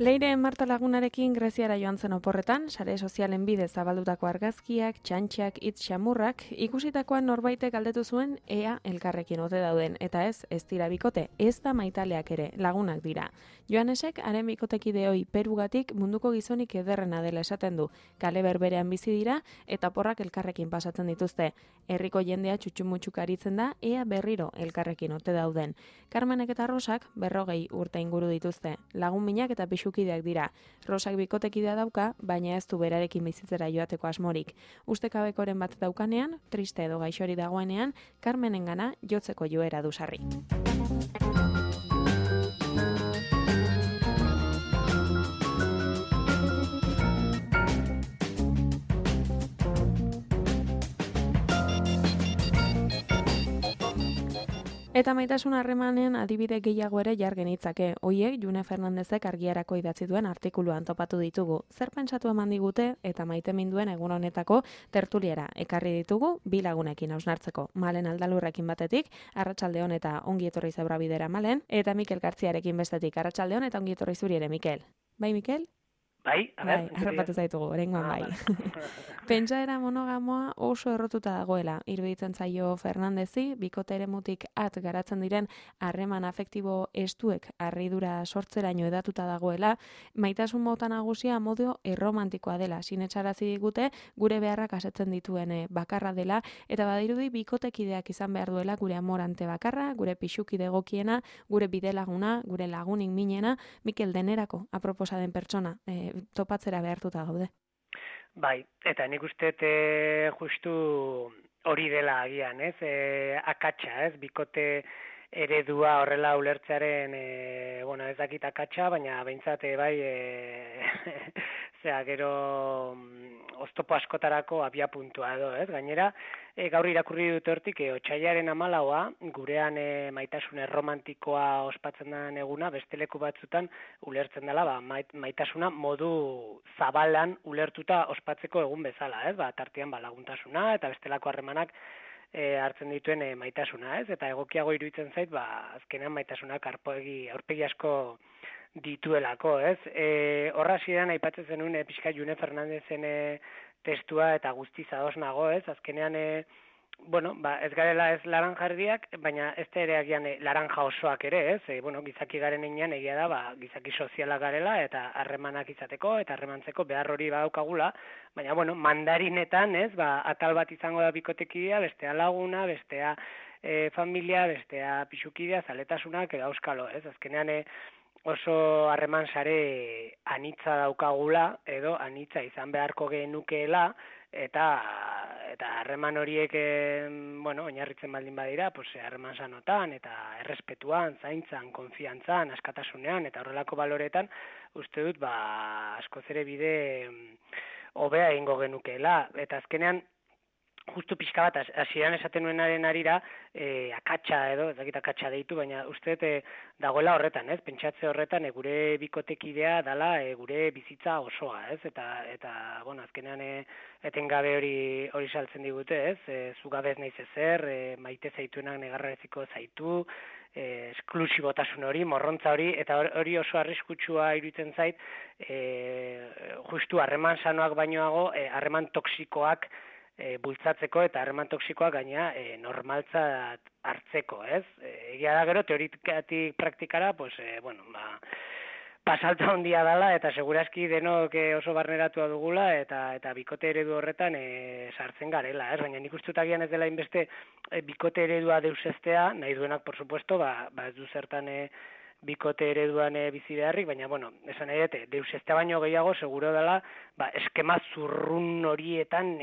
Leire Marta Lagunarekin Greziara joan zen oporretan, sare sozialen bidez zabaldutako argazkiak, txantxak, hitz xamurrak, ikusitakoan norbaitek galdetu zuen ea elkarrekin ote dauden, eta ez dira bikote, ez da maitaleak ere, lagunak dira. Joanesek, haren bikotekide hoi Perugatik munduko gizonik ederrena dela esaten du, kale berberean bizi dira, eta porrak elkarrekin pasatzen dituzte. Herriko jendea txutxumutxuk aritzen da, ea berriro elkarrekin ote dauden. Carmenek eta Rosak 40 urte inguru dituzte, lagun minak eta pixukideak dira. Rosak bikotekidea dauka, baina ez du berarekin bizitzera joateko asmorik. Ustekabekoren bat daukanean, triste edo gaixori dagoenean, Carmenengana jotzeko joera du sarri. Eta maitasun harremanen adibide gehiago ere jar genitzake. Hoiek June Fernandezek argiarako idatzi duen artikuluan topatu ditugu. Zer pentsatu eman digute eta maiteminduen egun honetako tertuliera ekarri ditugu bi lagunekin hausnartzeko. Malen Aldalurrekin batetik, arratsaldeon eta ongi etorri Zeura Bidera Malen, eta Mikel Gartziarekin bestetik, arratsaldeon eta ongi etorri zuri ere Mikel. Bai Mikel? Bai, harrapatu zaitugu, oraingoan bai. Pentsaera monogamoa oso errotuta dagoela, iruditzen zaio Fernandezi, bikote eremutik garatzen diren harreman afektibo estuek harridura sortzeraino edatuta dagoela, maitasun mota nagusia modu erromantikoa dela, sinetsarazi digute gure beharrak asetzen dituen bakarra dela, eta badirudi bikotekideak izan behar duela gure amorante bakarra, gure pixukide egokiena, gure bidelaguna, gure lagunik minena, Mikel denerako aproposa den pertsona, topatzera behartuta gaude. Bai, eta nik uste justu hori dela agian, ez? Akatsa, ez? Bikote eredua horrela ulertzearen, ez dakit akatsa, baina behintzat bai, gero oztopo askotarako abiapuntua edo, ez? Gainera, gaur irakurri dut hortik, otsailaren 14 gurean maitasun erromantikoa ospatzen den eguna, beste leku batzutan ulertzen dela, maitasuna modu zabalan ulertuta ospatzeko egun bezala, ez? Tartean laguntasuna eta bestelako harremanak hartzen dituen maitasuna, ez? Eta egokiago iruditzen zait, azkenean maitasunak aurpegi asko dituelako, ez? Horra hasieran aipatzen zenuen pixka June Fernandezen testua eta guztiz ados nago, ez? Azkenean, ez garela ez laranjardiak, baina ez da ere agian laranja osoak ere, ez? Gizaki garen enean egia da, gizaki sozialak garela eta harremanak izateko eta harremantzeko behar hori badaukagula, baina, mandarinetan, ez? Atal bat izango da bikotekidea, bestea laguna, bestea familia, bestea pixukidea, zaletasunak edo auskalo, ez? Azkenean, oso harreman sare anitza daukagula edo anitza izan beharko genukeela eta harreman horiek oinarritzen baldin badira, harreman sanotan eta errespetuan, zaintzan, konfiantzan, askatasunean eta horrelako baloretan uste dut askoz ere bide hobea egingo genukeela eta azkenean justu pixka bat, hasieran esaten nuenaren arira, akatsa edo, ez dakit akatsa deitu, baina uste dagoela horretan, ez? Pentsatze horretan, gure bikotekidea dala gure bizitza osoa, ez? Eta azkenean etengabe hori saltzen digute, ez? Zugabez naiz ezer, maite zaituenak negarreziko zaitu, esklusibotasun hori, morrontza hori, eta hori oso arriskutsua iruditzen zait, justu harreman sanoak bainoago, harreman toksikoak bultzatzeko eta harreman toksikoak gaina normaltzat hartzeko, ez? Egia da gero, teorikatik praktikara, pasalta handia dela eta segurazki denok oso barneratua dugula eta bikote eredu horretan sartzen garela, ez? Baina nik uste agian ez dela inbeste bikote eredua deusestea, nahi duenak, por supuesto, ez du zertan bikote ereduan bizi beharrik, baina, bueno, esan nahi dute, deus ezta baino gehiago, seguro dela, eskema zurrun horietan,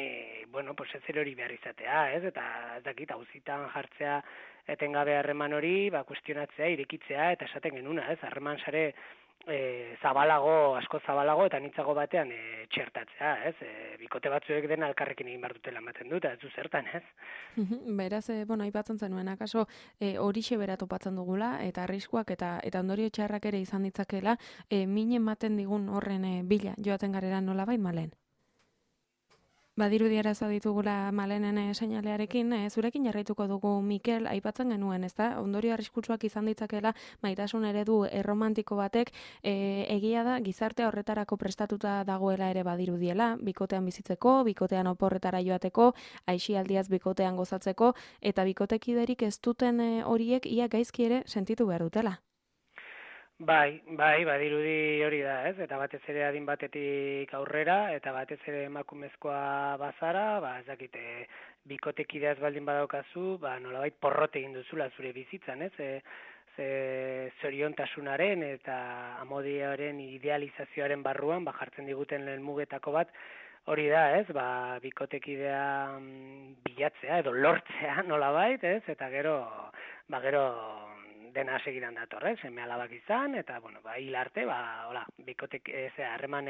bueno, pues ez hori behar izatea, ez? Eta ez dakit, auzitan jartzea etengabe harreman hori, kuestionatzea, irekitzea, eta esaten genuna, ez? Harreman sare asko zabalago eta nitzago batean txertatzea, ez? Bikote batzuek dena elkarrekin egin behar dutela ematen dut, ez du zertan, ez? Beraz, aipatzen zenuen, akaso horixe bera topatzen dugula, eta arriskuak eta ondorio txarrak ere izan ditzakela, min ematen digun horren bila joaten garela nolabait, Malen? Badirudi arazoa ditugula Malenen seinalearekin, zurekin jarraituko dugu, Mikel, aipatzen genuen, ezta? Ondorio arriskutsuak izan ditzakela maitasun eredu erromantiko batek, egia da gizartea horretarako prestatuta dagoela ere badirudiela, bikotean bizitzeko, bikotean oporretara joateko, aisialdiaz bikotean gozatzeko, eta bikotekiderik ez duten horiek ia gaizki ere sentitu behar dutela. Bai, badirudi hori da, ez? Eta batez ere adin batetik aurrera, eta batez ere emakumezkoa bazara, ez dakite, bikotekideaz baldin badaukazu, nolabait porrote egin duzula zure bizitzan, ez? Zoriontasunaren eta amodioaren idealizazioaren barruan, jartzen diguten lehen mugetako bat, hori da, ez? Bikotekidea bilatzea edo lortzea nolabait, ez? Eta gero dena segidan dator, seme alabak izan, eta, bueno, hil arte, bikotek, harreman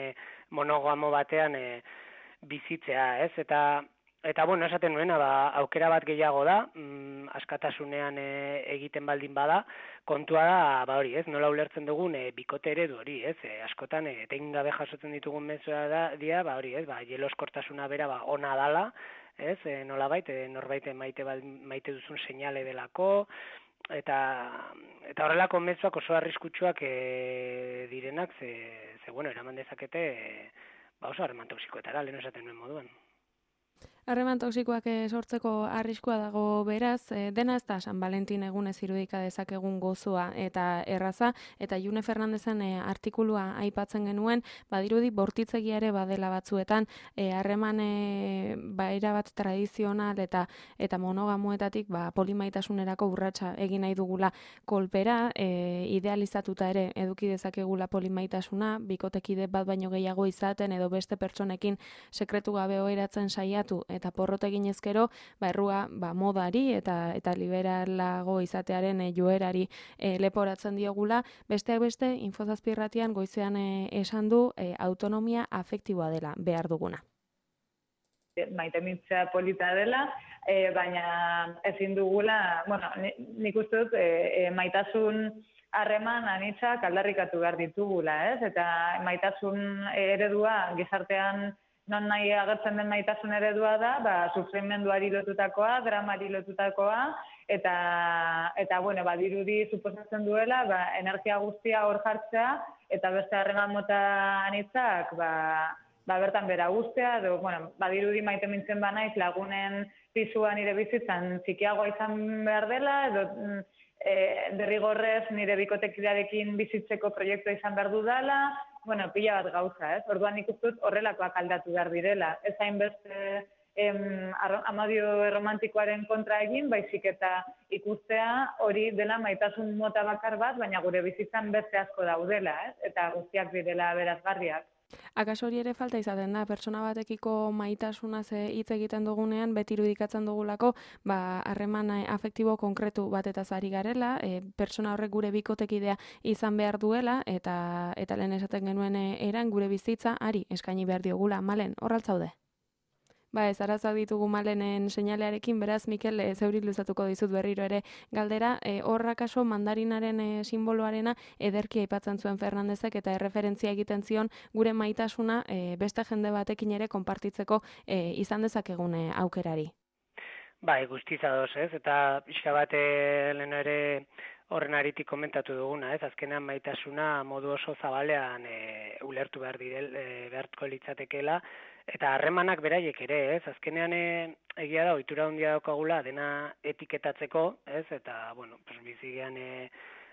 monogamo batean bizitzea, ez? Eta, bueno, esaten nuena, aukera bat gehiago da, askatasunean egiten baldin bada, kontua da, hori, ez? Nola ulertzen dugun bikote eredu hori, ez? Askotan, etengabe jasotzen ditugun mezua dira, hori, ez? Jeloskortasuna bera, ona dala, ez? Nolabait, norbait maite duzun seinale delako, eta horrelako mezuak oso arriskutsuak direnak, bueno, eraman dezakete oso harreman toksikoetara, lehen esaten nuen moduan. Harreman toksikoak sortzeko arriskua dago beraz, dena ez da San Valentin egunez irudika dezakegun gozoa eta erraza, eta June Fernandezen artikulua aipatzen genuen, badirudi bortitzegia ere badela batzuetan, harreman erabat tradizional eta monogamoetatik polimaitasunerako urratsa egin nahi dugula kolpera, idealizatuta ere eduki dezakegula polimaitasuna, bikotekide bat baino gehiago izaten edo beste pertsonekin sekretu gabe oheratzen saiatu eta porrot egin ezkero, errua modari eta liberalago izatearen joerari leporatzen diogula. Besteak beste, Infozazpi irratian goizean esan du autonomia afektiboa dela behar duguna. Maitemintzea polita dela, baina ezin dugula, bueno, nik uste dut maitasun harreman anitzak aldarrikatu behar ditugula, ez? Eta maitasun eredua gizartean non nahi agertzen den maitasun eredua da, sufrimenduari lotutakoa, dramari lotutakoa, eta bueno, badirudi suposatzen duela, energia guztia hor jartzea, eta beste harreman mota anitzak, bertan bera guztia, edo, bueno, badirudi maite mintzen banaiz lagunen pisuan nire bizitzan txikiagoa izan behar dela, edo derrigorrez nire bikotekidearekin bizitzeko proiektua izan behar dudala, bueno, pila bat gauza, ez? Orduan nik uste dut horrelakoak aldatu behar direla. Ez hainbeste amadio romantikoaren kontra egin, baizik eta ikustea hori dela maitasun mota bakar bat, baina gure bizitzan beste asko daudela, ez? Eta guztiak direla berazgarriak. Akaso hori ere falta izaten da, pertsona batekiko maitasunaz hitz egiten dugunean, beti irudikatzen dugulako, harreman afektibo konkretu batetaz ari garela, pertsona horrek gure bikotekidea izan behar duela, eta lehen esaten genuen eran gure bizitza ari eskaini behar diogula. Malen, horraltzaude? Ez arazak ditugu Malenen seinalearekin, beraz, Mikel, zeuri luzatuko dizut berriro ere galdera, horrakaso mandarinaren simboloarena ederki aipatzen zuen Fernandezek eta erreferentzia egiten zion gure maitasuna beste jende batekin ere konpartitzeko izan dezakegun aukerari. Guztiz ados, ez? Eta pixka bat lehen ere horren aritik komentatu duguna, ez? Azkenean maitasuna modu oso zabalean ulertu beharko litzatekeela, eta harremanak beraiek ere, ez? Azkenean egia da, ohitura handia daukagula dena etiketatzeko, ez? Eta, bueno, bizigean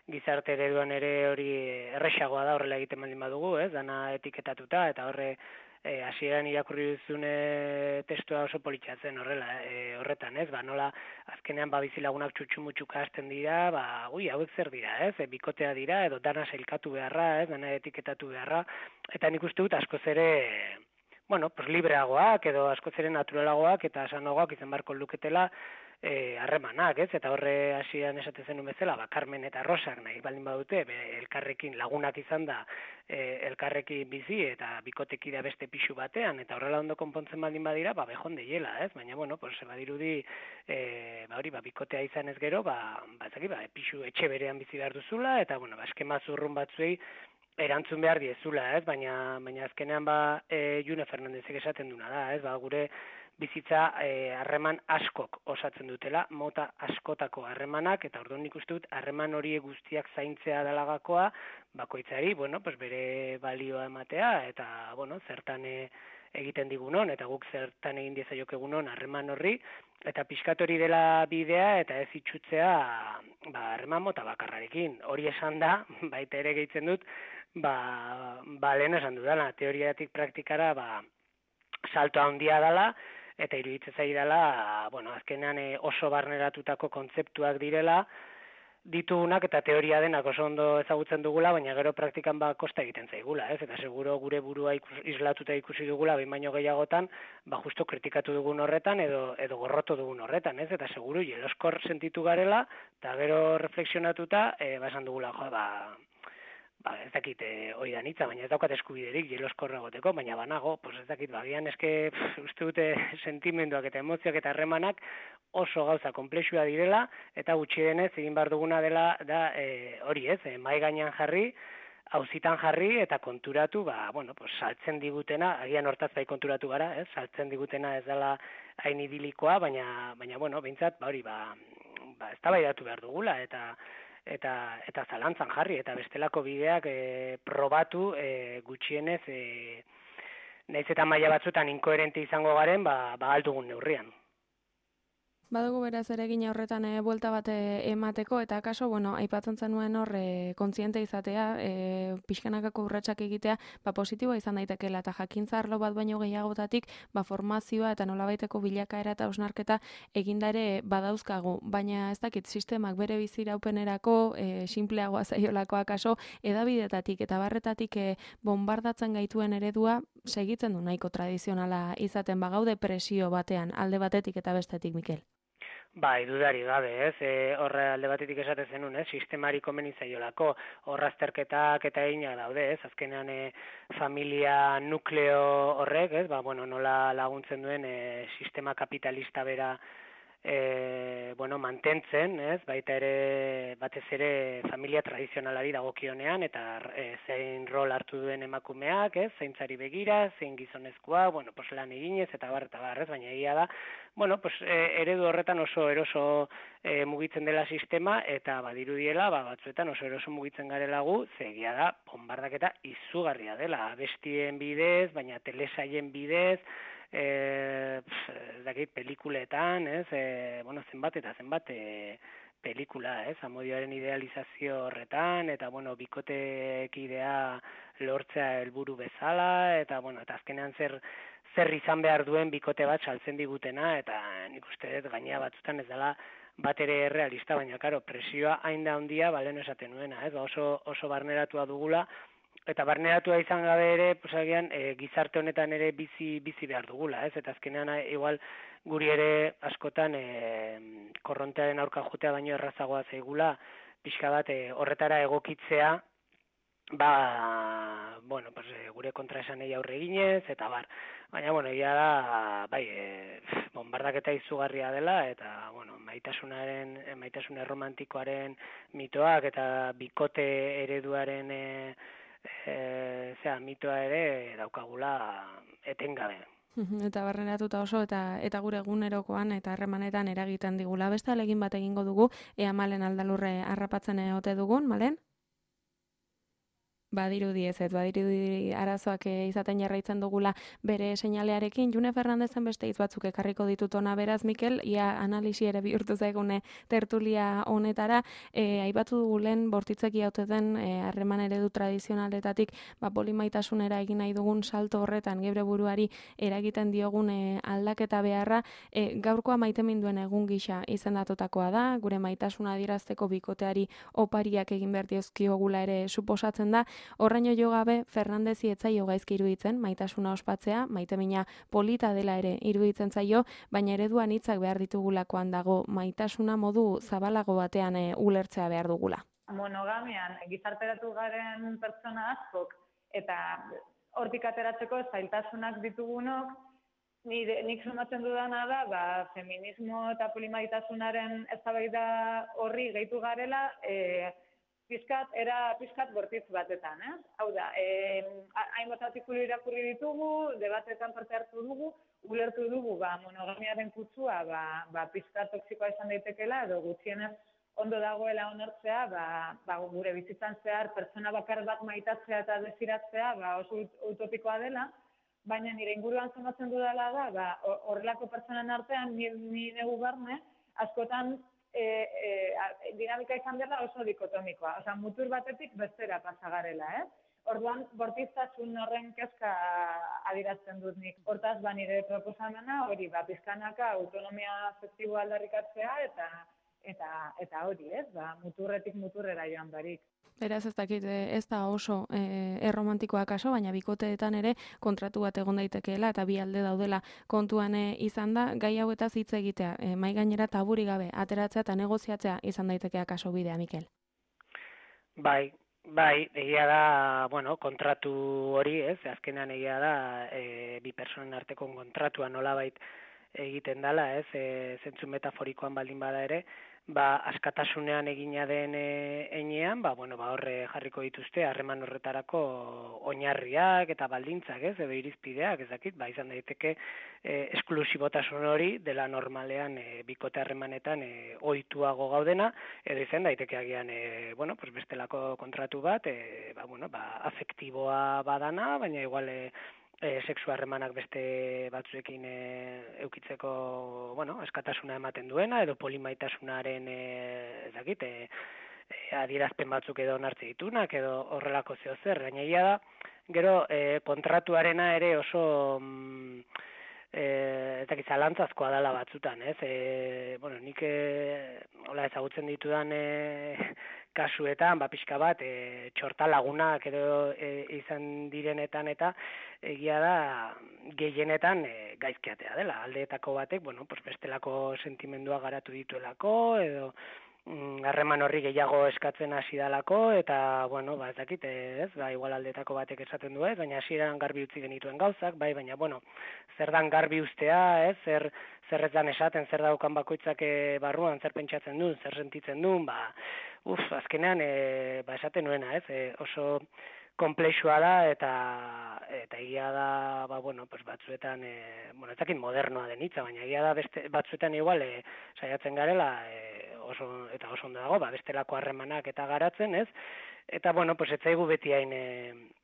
gizarte ereduan ere hori erresagoa da horrela egiten baldin badugu, ez? Dana etiketatuta eta horre hasieran irakurri duzune testua oso politxatzen horretan, ez? Nola azkenean bizilagunak txutxu-mutxuka hasten dira, hauek zer dira, ez? Bikotea dira, edo dana sailkatu beharra, ez? Dana etiketatu beharra, eta nik uste dut askoz ere, libreagoak, edo askoz ere naturalagoak, eta sanoagoak izan barko luketela, harremanak, ez? Eta horre hasieran esaten zenuen bezala, Carmen eta Rosak nahi baldin badute, elkarrekin lagunak izan da, elkarrekin bizi eta bikotekidea beste pixu batean, eta horrela ondo konpontzen baldin badira, bejon deiela, ez? Baina, badirudi, bikotea izan ez gero, pixu etxe berean bizi behar duzula, eta, eskema zurrun batzuei erantzun behar diezula, ez? Baina azkenean, June Fernandezek esaten duna da, ez? Gure bizitza harreman askok osatzen dutela, mota askotako harremanak, eta orduan nik uste dut harreman horiek guztiak zaintzea dalagakoa, bakoitzari, bere balioa ematea, eta, zertan egiten digunon, eta guk zertan egin diezaiok egunon harreman horri, eta pixkat hori dela bidea, eta ez itxutzea, harreman mota bakarrarekin. Hori esan da, baita ere gehitzen dut, lehen esan dudala, teoriatik praktikara, salto handia dela, eta iruditzen zaidala, azkenean oso barneratutako kontzeptuak direla, ditugunak eta teoria denak oso ondo ezagutzen dugula, baina gero praktikan kosta egiten zaigula, ez? Eta seguro gure burua islatuta ikusi dugula, behin baino gehiagotan, justo kritikatu dugun horretan, edo gorroto dugun horretan, ez? Eta seguro jeloskor sentitu garela, eta gero reflexionatuta, esan dugula, ez dakit hori da nitza, baina ez daukat eskubiderik jeloskorra goteko, baina banago, ez dakit, bagian eske uste dute sentimenduak eta emozioak eta harremanak oso gauza komplexua direla, eta gutxi denez egin behar duguna dela da hori ez, mahai gainean jarri, auzitan jarri eta konturatu, saltzen digutena, agian hortaz bai konturatu gara, saltzen digutena ez dela hain idilikoa, baina behintzat, eztabaidatu behar dugula, eta zalantzan jarri, eta bestelako bideak probatu gutxienez, nahiz eta maila batzuetan inkoherente izango garen, aldugun neurrian. Badugu beraz ere gina horretan buelta bat emateko, eta akaso, aipatzen zenuen hor kontziente izatea, pixkanakako urratsak egitea, positiboa izan daitekeela, eta jakintza arlo bat baino gehiagotatik, formazioa eta nolabaiteko bilakaera eta osnarketa eginda ere badauzkagu, baina ez dakit sistemak bere biziraupenerako, sinpleagoa zaiolako akaso, edabidetatik eta barretatik bombardatzen gaituen eredua segitzen du nahiko tradizionala izaten bagaude presio batean, alde batetik eta bestetik, Mikel. Dudari gabe, ez? Horre alde batetik esaten zenun, sistemari komeni zaiolako, horra azterketak eta egina daude, ez? Azkenean familia nukleo horrek, ez? Nola laguntzen duen sistema kapitalista bera mantentzen, ez? Baita ere, batez ere familia tradizionalari dagokionean, eta zein rol hartu duen emakumeak, ez? Zaintzari begira, zein gizonezkoa, lan eginez, eta bar, ez? Baina egia da, eredu horretan oso eroso mugitzen dela sistema, eta badirudiela, batzuetan oso eroso mugitzen garela gu, zegia da, bombardaketa izugarria dela, abestien bidez, baina telesaien bidez, pelikuletan, ez, zenbat eta zenbat pelikula, ez, amodioaren idealizazio horretan, eta, bikotekidea lortzea helburu bezala, eta azkenean zer izan behar duen bikote bat saltzen digutena, eta nik uste dut gainea batzutan ez dela bat ere realista, baina, presioa hain da handia, lehen esaten nuena, ez, oso barneratua dugula, eta barneratua izan gabe ere, agian, gizarte honetan ere bizi behar dugula, ez? Eta azkenean, igual, guri ere askotan korrontearen aurka jotea baino errazagoa zaigula, pixka bat horretara egokitzea, gure kontraesanei aurre eginez, eta bar. Baina, egia da, bombardaketa izugarria dela, eta, maitasun erromantikoaren mitoak, eta bikote ereduaren mitoa ere daukagula etengabe. Eta barneratuta oso, eta gure egunerokoan eta harremanetan eragiten digula. Beste alegin bat egingo dugu, ea Malen Aldalurre harrapatzen ote dugun, Malen? Badirudi badirudi arazoak izaten jarraitzen dugula bere seinalearekin. June Fernandezen beste hitz batzuk ekarriko ditut ona, beraz, Mikel, ia analisi ere bihurtu zaigune tertulia honetara. Aipatu dugu lehen bortitzeki haute den harreman eredu tradizionaletatik polimaitasuna egin nahi dugun salto horretan geure buruari eragiten diogun aldaketa beharra, gaurkoa maiteminduen egun gisa izendatutakoa da, gure maitasuna adierazteko bikoteari opariak egin behar diozkiogula ere suposatzen da. Horraino jo gabe, Fernandezi ez zaio gaizki iruditzen maitasuna ospatzea, maitemina polita dela ere iruditzen zaio, baina ereduan hitzak behar ditugulakoan dago, maitasuna modu zabalago batean ulertzea behar dugula. Monogamian gizarteratu garen pertsona askok eta hortik ateratzeko zailtasunak ditugunok, nik sumatzen dudana da, feminismo eta polimaitasunaren eztabaida horri gehitu garela, pizkat bortitz batetan, ez? Hau da, hainbat artikulu irakurri ditugu, debatetan parte hartu dugu, ulertu dugu monogamiaren kutsua pizkat toksikoa izan daitekela, edo gutxienez ondo dagoela onartzea, gure bizitzan zehar pertsona bakar bat maitatzea eta desiratzea oso utopikoa dela, baina nire inguruan zenbatzen dudala da, horrelako pertsonen artean ni negu barne, askotan dinamika izan dela oso dikotomikoa. Osea, mutur batetik bestera pasagarela, ez? Orduan, bortiztasun horren kezka adierazten dut nik. Hortaz, nire proposamena hori, pizkanaka autonomia afektiboa aldarrikatzea eta hori, ez? Muturretik muturrera joan barik. Beraz, ez dakit, ez da oso erromantikoa kaso, baina bikoteetan ere kontratu bat egon daitekeela eta bi alde daudela kontuan izan da, gai hauetaz hitz egitea, mai gainera taburi gabe, ateratzea eta negoziatzea izan daitekea kaso bidea, Mikel. Bai, egia da, kontratu hori, ez, azkenean egia da, bi personen arteko kontratua nolabait egiten dela, ez, zentzu metaforikoan baldin bada ere, askatasunean egina den enean, horre jarriko dituzte harreman horretarako oinarriak eta baldintzak, ez, edo irizpideak, ezakit, izan daiteke esklusibotasun hori dela normalean bikote harremanetan ohituago gaudena, edo izan daiteke agian, bestelako kontratu bat, afektiboa badana, baina igual sexu harremanak beste batzuekin eukitzeko, askatasuna ematen duena, edo polimaitasunaren, adierazpen batzuk edo onartze ditunak, edo horrelako zeozer, gainegia da, gero kontratuarena ere oso zalantzazkoa dela batzutan, ez? Nik hola ezagutzen ditudan kasuetan, pixka bat, txorta lagunak edo izan direnetan eta egia da gehienetan gaizkiatea dela. Aldeetako batek, bestelako sentimendua garatu dituelako edo harreman horri gehiago eskatzen hasi dalako eta, ez dakit, ez, igual aldeetako batek esaten du ez, baina hasieran garbi utzi genituen gauzak, baina, zer dan garbi ustea, ez, zer ez dan esaten, zer daukan bakoitzak barruan, zer pentsatzen duen, zer sentitzen duen, azkenean, esaten nuena, ez, oso komplexua da eta egia da, batzuetan, ez dakit modernoa den hitza, baina egia da batzuetan igual saiatzen garela, oso ondo dago, bestelako harremanak eta garatzen, ez? Eta, ez zaigu beti hain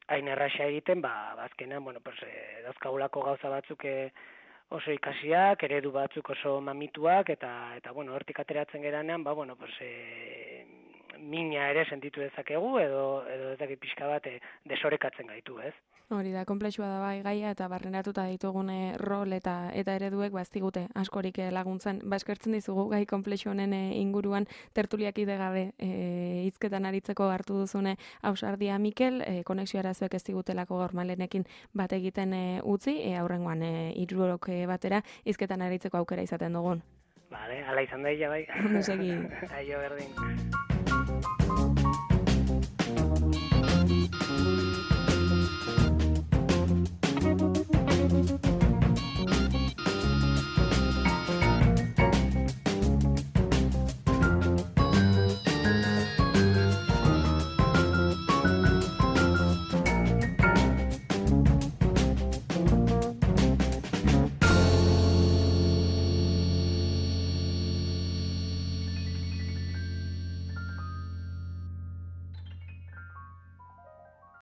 erraxa egiten, azkenean, dauzkagulako gauza batzuk oso ikasiak, eredu batzuk oso mamituak, eta hortik ateratzen geranean, mina ere sentitu dezakegu, edo ez dakit pixka bat desorekatzen gaitu, ez? Hori da, konplexua da gaia eta barrenatuta ditugune rol eta ereduek ez digute askorik laguntzen. Eskertzen dizugu gai konplexu honen inguruan tertuliak idegabe hizketan aritzeko hartu duzune ausardia, Mikel, konexio arazoek ez digutelako gaur Malenekin bat egiten utzi, aurrengoan hirurok batera hizketan aritzeko aukera izaten dugun. Vale, ala izan daia bai. Ondo segi. Aio berdin.